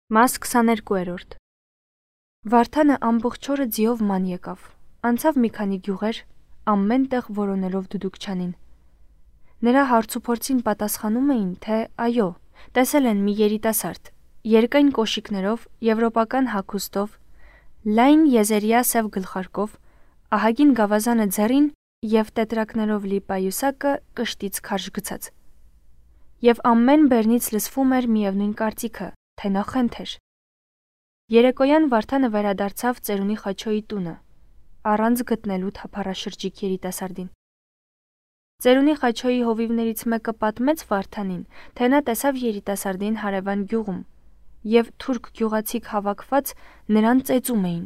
Մաս 22-րդ Վարդանը ամբողջ օրը ձիով ման եկավ, անցավ մի քանի գյուղեր, ամեն տեղ որոնելով դուդուկչանին։ Նրա հարցուփորձին պատասխանում էին, թե այո, տեսել են մի երիտասարդ, երկայն կոշիկներով, եվրոպական հագուստով, լայն եզերյա սև գլխարկով, ահագին գավազանը ձեռին և տետրակներով լի պայուսակը կշտից քարշ գցած։ Եվ ամեն բեռնից լսվում էր միևնույն կարծիքը, թե նա խենթ էր։ Երեկոյան Վարդանը վերադարձավ ծերունի Խաչոյի տունը, առանց գտնելու թափառաշրջիկ երիտասարդին։ Ծերունի Խաչոյի հովիվներից մեկը պատմեց Վարդանին, թե նա տեսավ երիտասարդին հարևան գյուղում, և թուրք գյուղացիք հավաքված նրան ծեծում էին։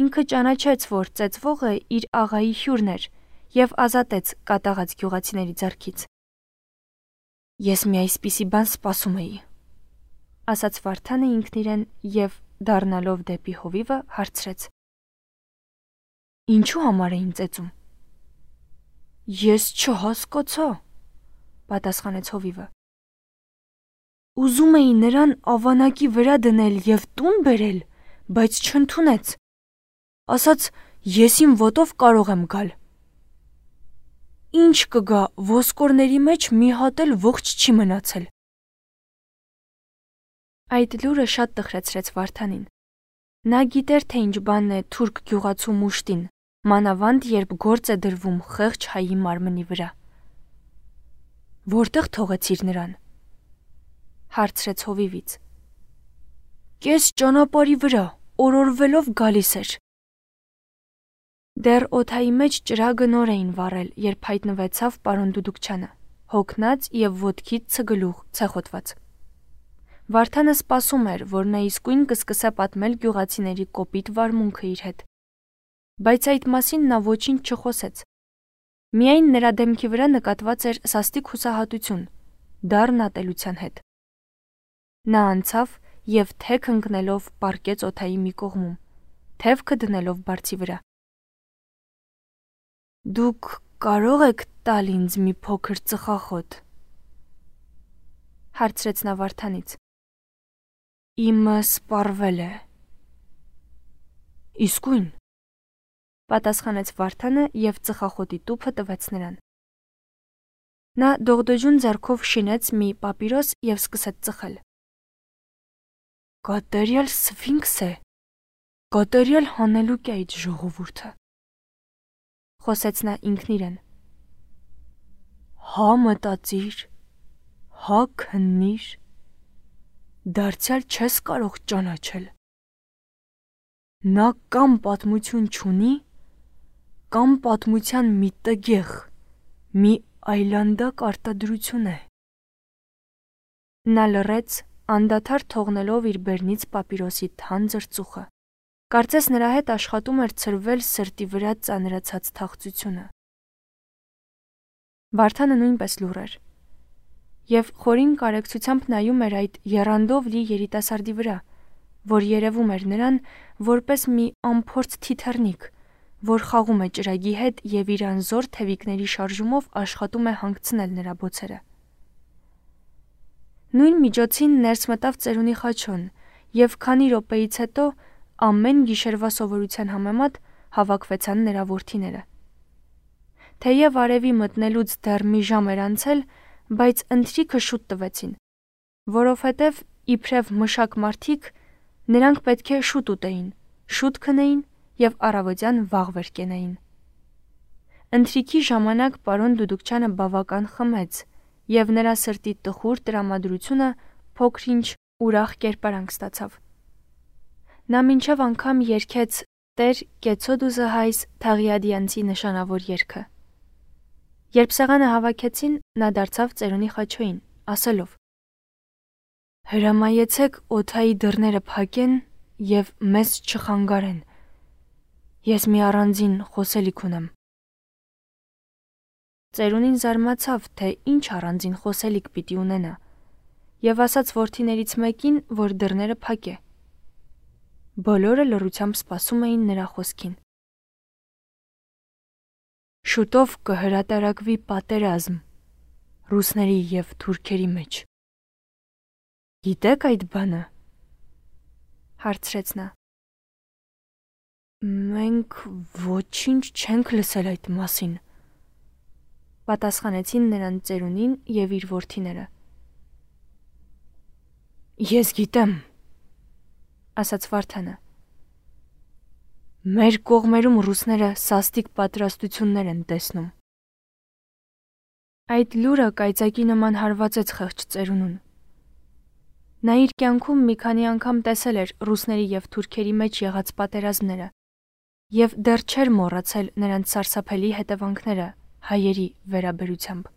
Ինքը ճանաչեց, որ ծեծվողը իր աղայի հյուրն էր և ազատեց կատաղած գյուղացիների ձեռքից։ Ես մի այսպիսի բան սպասում էի, ասաց Վարդանը ինքն իրեն և դառնալով դեպի հովիվը հարցրեց. Ինչու համար էին ծեծում։ Ես չհասկացա, պատասխանեց հովիվը։ Ուզում էի նրան ավանակի վրա դնել և տուն բերել, բայց չընդունեց։ Ասաց, ես իմ ոտով կարող եմ գալ։ Ինչ կգա, ոսկորների մեջ մի հատ էլ ողջ չի մնացել։ Այդ լուրը շատ տխրեցրեց Վարդանին։ Նա գիտեր, թե ինչ բանն է թուրք գյուղացու մուշտին, մանավանդ երբ գործ է դրվում խեղճ հայի մարմնի վրա։ Որտեղ թողեցիր նրան, հարցրեց հովիվից։ Կես ճանապարհի վրա, օրորվելով գալիս էր։ Դեռ օդայի մեջ ճրագը նոր էին վառել, երբ հայտնվեցավ պարոն Դուդուկչյանը, հոգնած և ոտքից ցգլուխ ցեխոտված։ Վարդանը սպասում էր, որ նա իսկույն կսկսե պատմել գյուղացիների կոպիտ վարմունքը իր հետ։ Բայց այդ մասին նա ոչինչ չխոսեց։ Միայն նրա դեմքի վրա նկատված էր սաստիկ հուսահատություն, դառն ատելության հետ։ Նա անցավ և թեք ընկնելով պառկեց օդայի մի կողմում, թևքը դնելով բարձի վրա։ Դուք կարող եք տալ ինձ մի փոքր ծխախոտ, հարցրեց նա Վարդանից։ Իմը սպառվել է։ Իսկույն, պատասխանեց Վարդանը և ծխախոտի տուփը տվեց նրան։ Նա դողդոջուն ձեռքով շինեց մի պապիրոս և սկսեց ծխել։ Կատարյալ սֆինքս է, կատարյալ հանելուկ է այդ ժողովուրդը, խոսեց նա ինքն իրեն։ Հա մտածիր, հա քննիր, դարձյալ չես կարող ճանաչել։ Նա կամ պատմություն չունի, կամ պատմության մի տգեղ, մի այլանդակ արտադրություն է։ Նա լռեց, անդադար թողնելով իր բերնից պապիրոսի թանձր ծուխը։ Կարծես նրա հետ աշխատում էր ցրվել սրտի վրա ծանրացած թախծությունը։ Վարդանը նույնպես լուռ էր և խորին կարեկցությամբ նայում էր այդ եռանդով լի երիտասարդի վրա, որ երևում էր նրան որպես մի անփորձ թիթեռնիկ, որ խաղում է ճրագի հետ և իր անզոր թևիկների շարժումով աշխատում է հանգցնել նրա բոցերը։ Նույն միջոցին ներս մտավ ծերունի Խաչոն և քանի րոպեից հետո ամեն գիշերվա սովորության համեմատ հավաքվեցան նրա որդիները։ Թեև արևի մտնելուց դեռ մի ժամ էր անցել, բայց ընթրիքը շուտ տվեցին, որովհետև իբրև մշակ մարդիկ նրանք պետք է շուտ ուտեին, շուտ քնեին և առավոտյան վաղ վեր կենային։ Ընթրիքի ժամանակ պարոն Դուդուկչյանը բավական խմեց և նրա սրտի տխուր տրամադրությունը փոքր-ինչ ուրախ կերպարանք ստացավ։ Նա մինչև անգամ երգեց Տեր Կեցոդուզը հայս Թաղիադյանցի նշանավոր երգը։ Երբ սեղանը հավաքեցին, նա դարձավ ծերունի Խաչոյին, ասելով. Հրամայեցեք օդայի դռները փակեն և մեզ չխանգարեն։ Ես մի առանձին խոսելիք ունեմ։ Ծերունին զարմացավ, թե ինչ առանձին խոսելիք պիտի ունենա, և ասաց որդիներից մեկին, որ դռները փակե։ Բոլորը լռությամբ սպասում էին նրա խոսքին։ Շուտով կհրատարակվի պատերազմ ռուսների և թուրքերի մեջ։ Գիտեք այդ բանը։ հարցրեց նա։ Մենք ոչինչ չենք լսել այդ մասին, պատասխանեցին նրան ծերունին եւ իր որդիները։ Ես գիտեմ, ասաց Վարդանը։ Մեր կողմերում ռուսները սաստիկ պատրաստություններ են տեսնում։ Այդ լուրը կայծակի նման հարվածեց խեղճ ծերունուն։ Նա իր կյանքում մի քանի անգամ տեսել էր ռուսների եւ թուրքերի մեջ եղած պատերազմները եւ դեռ չէր մոռացել նրանց սարսափելի հետևանքները հայերի վերաբերությամբ։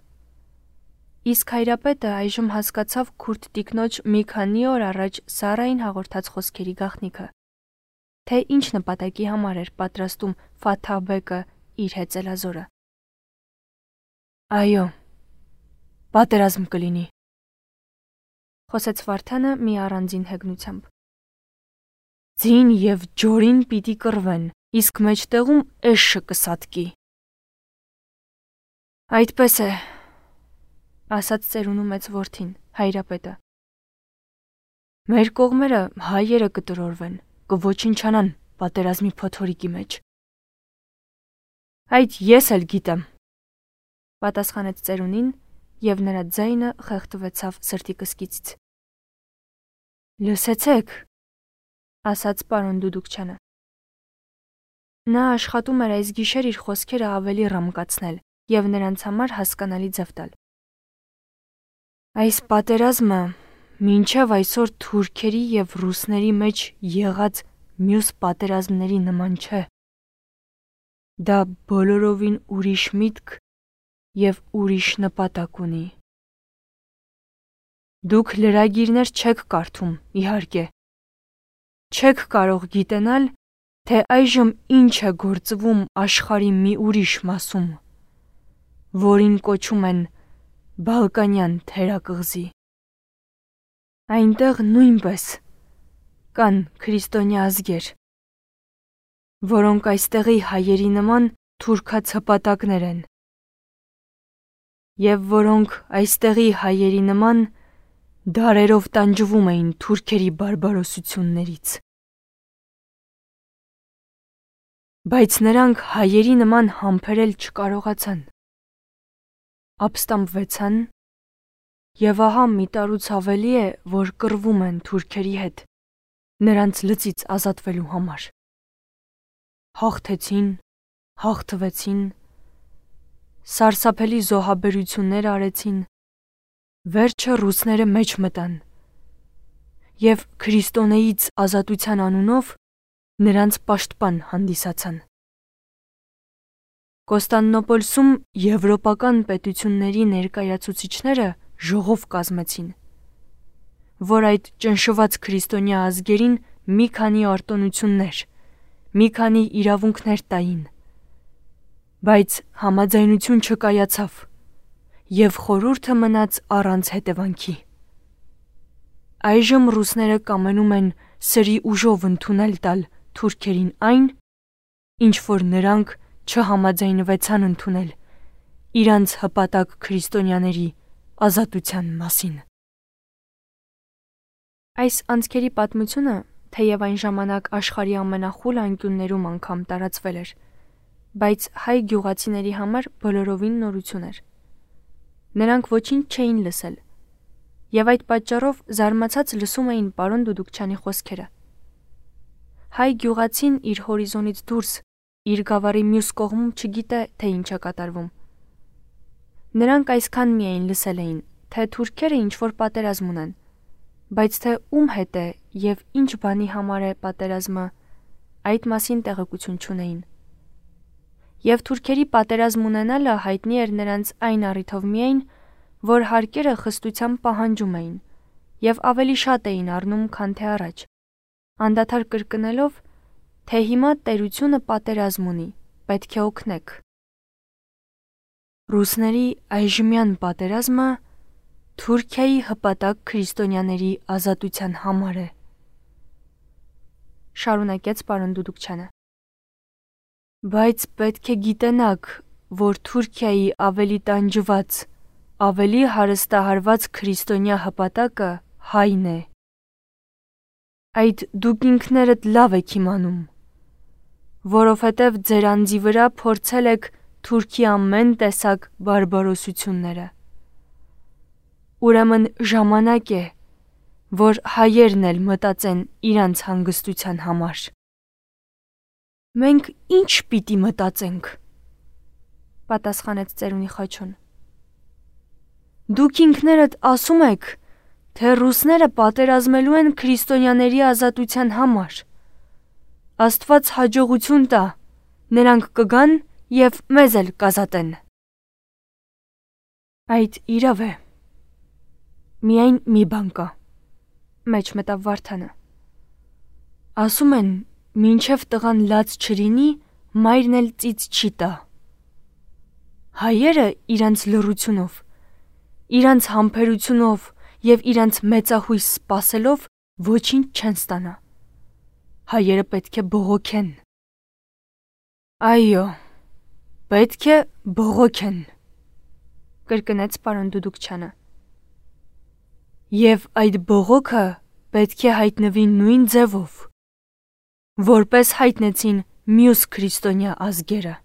Իսկ հայրապետը այժմ հասկացավ քուրդ տիկնոջ մի քանի օր առաջ Սարային հաղորդած խոսքերի գաղտնիքը, թե ինչ նպատակի համար էր պատրաստում Ֆաթահ բեկը իր հեծելազորը։ Այո, պատերազմ կլինի, խոսեց Վարդանը մի առանձին հեգնությամբ։ Ձին եւ ջորին պիտի կռվեն, իսկ մեջտեղում էշը կսատկի։ Այդպես է, ասաց ծերունու մեծ որդին, հայրապետը։ Մեր կողմերը հայերը կտրորվեն, կոչնչանան պատերազմի փոթորիկի մեջ։ Այդ ես էլ գիտեմ, պատասխանեց ծերունին եւ նրա ձայնը խեղդվեցավ սրտի կսկիցից։ Լսեցեք, ասաց պարոն Դուդուկչյանը։ Նա աշխատում էր այս գիշեր իր խոսքերը ավելի ռամկացնել եւ նրանց համար հասկանալի ձև տալ։ Այս պատերազմը մինչև այսօր թուրքերի եւ ռուսների մեջ եղած մյուս պատերազմների նման չէ։ Դա բոլորովին ուրիշ միտք եւ ուրիշ նպատակ ունի։ Դուք լրագիրներ չեք կարդում, իհարկե։ Չեք կարող գիտենալ, թե այժմ ինչ է գործվում աշխարհի մի ուրիշ մասում, որին կոչում են Բալկանյան թերակղզի։ Այնտեղ նույնպես կան քրիստոնյա ազգեր, որոնք այստեղի հայերի նման թուրքացպատակներ են, եւ որոնք այստեղի հայերի նման դարերով տանջվում էին թուրքերի բարբարոսություններից։ Բայց նրանք հայերի նման համբերել չկարողացան։ Ապստամբվեցան եւ ահա մի տարուց ավելի է, որ կռվում են թուրքերի հետ, նրանց լծից ազատվելու համար։ Հաղթեցին, հաղթվեցին, սարսափելի զոհաբերություններ արեցին, վերջը ռուսները մեջ մտան եւ քրիստոնեից ազատության անունով նրանց պաշտպան հանդիսացան։ Կոստանդնոպոլսում եվրոպական պետությունների ներկայացուցիչները ժողով կազմեցին, որ այդ ճնշված քրիստոնյա ազգերին մի քանի արտոնություններ, մի քանի իրավունքներ տային, բայց համաձայնություն չկայացավ եւ խորհուրդը մնաց առանց հետևանքի։ Այժմ ռուսները կամենում են սրի ուժով ընդունել տալ թուրքերին այն, ինչ որ նրանք չհամաձայնվեցան ընդունել իրանց հպատակ քրիստոնյաների ազատության մասին։ Այս անցքերի պատմությունը, թեև այն ժամանակ աշխարհի ամենախուլ անկյուններում անգամ տարածվել էր, բայց հայ գյուղացիների համար բոլորովին նորություն էր։ Նրանք ոչինչ չէին լսել, եւ այդ պատճառով զարմացած լսում էին պարոն Դուդուկչյանի խոսքերը։ Հայ գյուղացին իր հորիզոնից դուրս, իր գավառի մյուս կողմում չգիտե, թե ինչ է կատարվում։ Նրանք այսքան միայն լսել էին, թե թուրքերը ինչ-որ պատերազմ ունեն, բայց թե ում հետ է եւ ինչ բանի համար է պատերազմը, այդ մասին տեղեկություն չունեին։ Եվ թուրքերի պատերազմ ունենալը հայտնի էր նրանց այն առիթով միայն, որ հարկերը խստությամբ պահանջում էին եւ ավելի շատ էին առնում, քան թե առաջ, անդադար կրկնելով, թե հիմա տերությունը պատերազմ ունի, պետք է օգնեք։ Ռուսների այժմյան պատերազմը Թուրքիայի հպատակ քրիստոնյաների ազատության համար է, շարունակեց պարոն Դուդուկչյանը։ Բայց պետք է գիտենաք, որ Թուրքիայի ավելի տանջված, ավելի հարստահարված քրիստոնյա հպատակը հայն է։ Այդ դուք ինքներդ լավ եք իմանում, որովհետև ձեր անձի վրա փորձել եք թուրքի ամեն տեսակ բարբարոսությունները։ Ուրեմն ժամանակ է, որ հայերն էլ մտածեն իրանց հանգստության համար։ Մենք ինչ պիտի մտածենք, պատասխանեց ծերունի խաչուն։ Դուք ինքներդ ասում եք, թե ռուսները պատերազմելու են քրիստոնյաների ազատության համար։ Աստված հաջողություն տա, նրանք կգան և մեզ էլ կազատեն։ Այդ իրավ է։ Միայն մի բան կա, մեջ մտավ Վարդանը։ Ասում են, մինչև տղան լաց չլինի, մայրն էլ ծիծ չի տա։ Հայերը իրանց լռությունով, իրանց համբերությունով և իրանց մեծահույս սպասելով ոչինչ չեն ստանա։ Հայերը պետք է բողոքեն։ Այո, պետք է բողոքեն, կրկնեց պարոն Դուդուկչյանը։ Եվ այդ բողոքը պետք է հայտնվի նույն ձևով, որպես հայտնեցին մյուս քրիստոնյա ազգերը։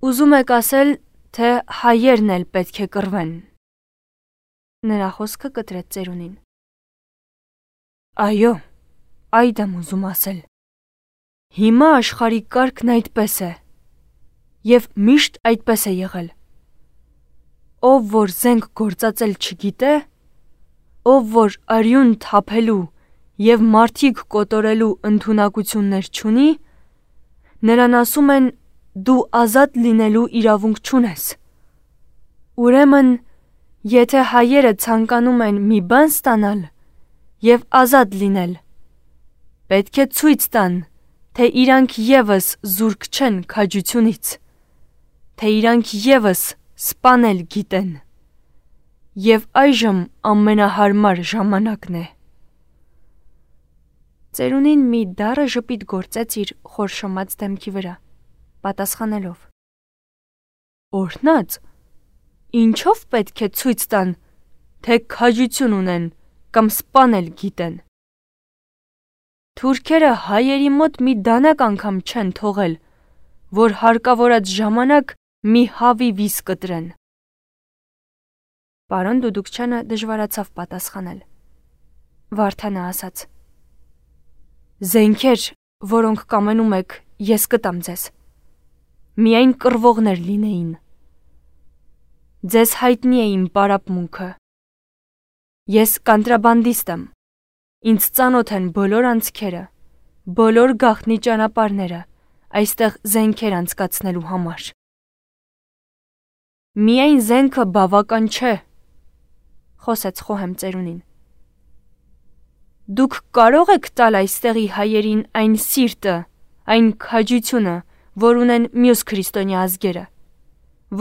Ուզում եք ասել, թե հայերն էլ պետք է կռվեն։ Նրա խոսքը կտրեց ծերունին։ Այո, այդ եմ ուզում ասել։ Հիմա աշխարհի կարգն այդպես է, և միշտ այդպես է եղել։ Ով որ զենք գործածել չգիտե, ով որ արյուն թափելու և մարդիկ կոտորելու ընդունակություններ չունի, նրան ասում են դու ազատ լինելու իրավունք չունես։ Ուրեմն, եթե հայերը ցանկանում են մի բան ստանալ և ազատ լինել, պետք է ցույց տան, թե իրանք ևս զուրկ չեն քաջությունից, թե իրանք ևս սպանել գիտեն, և այժմ ամենահարմար ժամանակն է։ Ծերունին մի դառը ժպիտ գործեց իր խորշոմած դեմքի վրա, պատասխանելով. Օրհնած, ինչով պետք է ցույց տան, թե քաջություն ունեն կամ սպանել գիտեն։ Թուրքերը հայերի մոտ մի դանակ անգամ չեն թողել, որ հարկավորած ժամանակ մի հավի վիզ կտրեն։ Պարոն Դուդուկչյանը դժվարացավ պատասխանել։ Վարդանը ասաց. Զենքեր, որոնք կամենում եք, ես կտամ ձեզ։ Միայն կռվողներ լինեին։ Ձեզ հայտնի է իմ պարապմունքը։ Ես կանտրաբանդիստ եմ։ Ինձ ծանոթ են բոլոր անցքերը, բոլոր գաղտնի ճանապարհները այստեղ զենքեր անցկացնելու համար։ Միայն զենքը բավական չէ, խոսեց խոհեմ ծերունին։ Դուք կարող եք տալ այստեղի հայերին այն սիրտը, այն քաջությունը, որ ունեն մյուս քրիստոնյա ազգերը,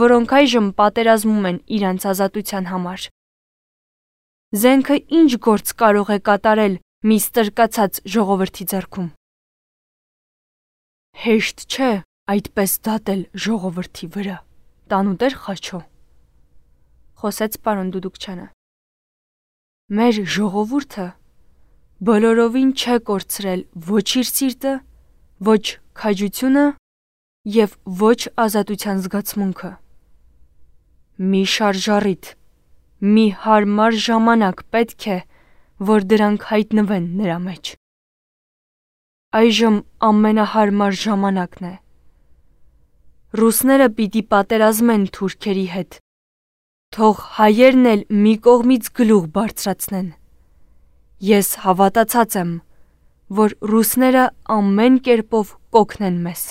որոնք այժմ պատերազմում են իրանց ազատության համար։ Զենքը ինչ գործ կարող է կատարել մի ստրկացած ժողովրդի ձեռքում։ Հեշտ չէ այդպես դատել ժողովրդի վրա, տանուտեր Խաչո, խոսեց պարոն Դուդուկչյանը։ Մեր ժողովուրդը բոլորովին չէ կորցրել ոչ իր սիրտը, ոչ քաջությունը և ոչ ազատության զգացմունքը։ Մի շարժառիթ, մի հարմար ժամանակ պետք է, որ դրանք հայտնվեն նրա մեջ։ Այժմ ամենահարմար ժամանակն է։ Ռուսները պիտի պատերազմեն թուրքերի հետ։ Թող հայերն էլ մի կողմից գլուխ բարձրացնեն։ Ես հավատացած եմ, որ ռուսները ամեն կերպով կօգնեն մեզ։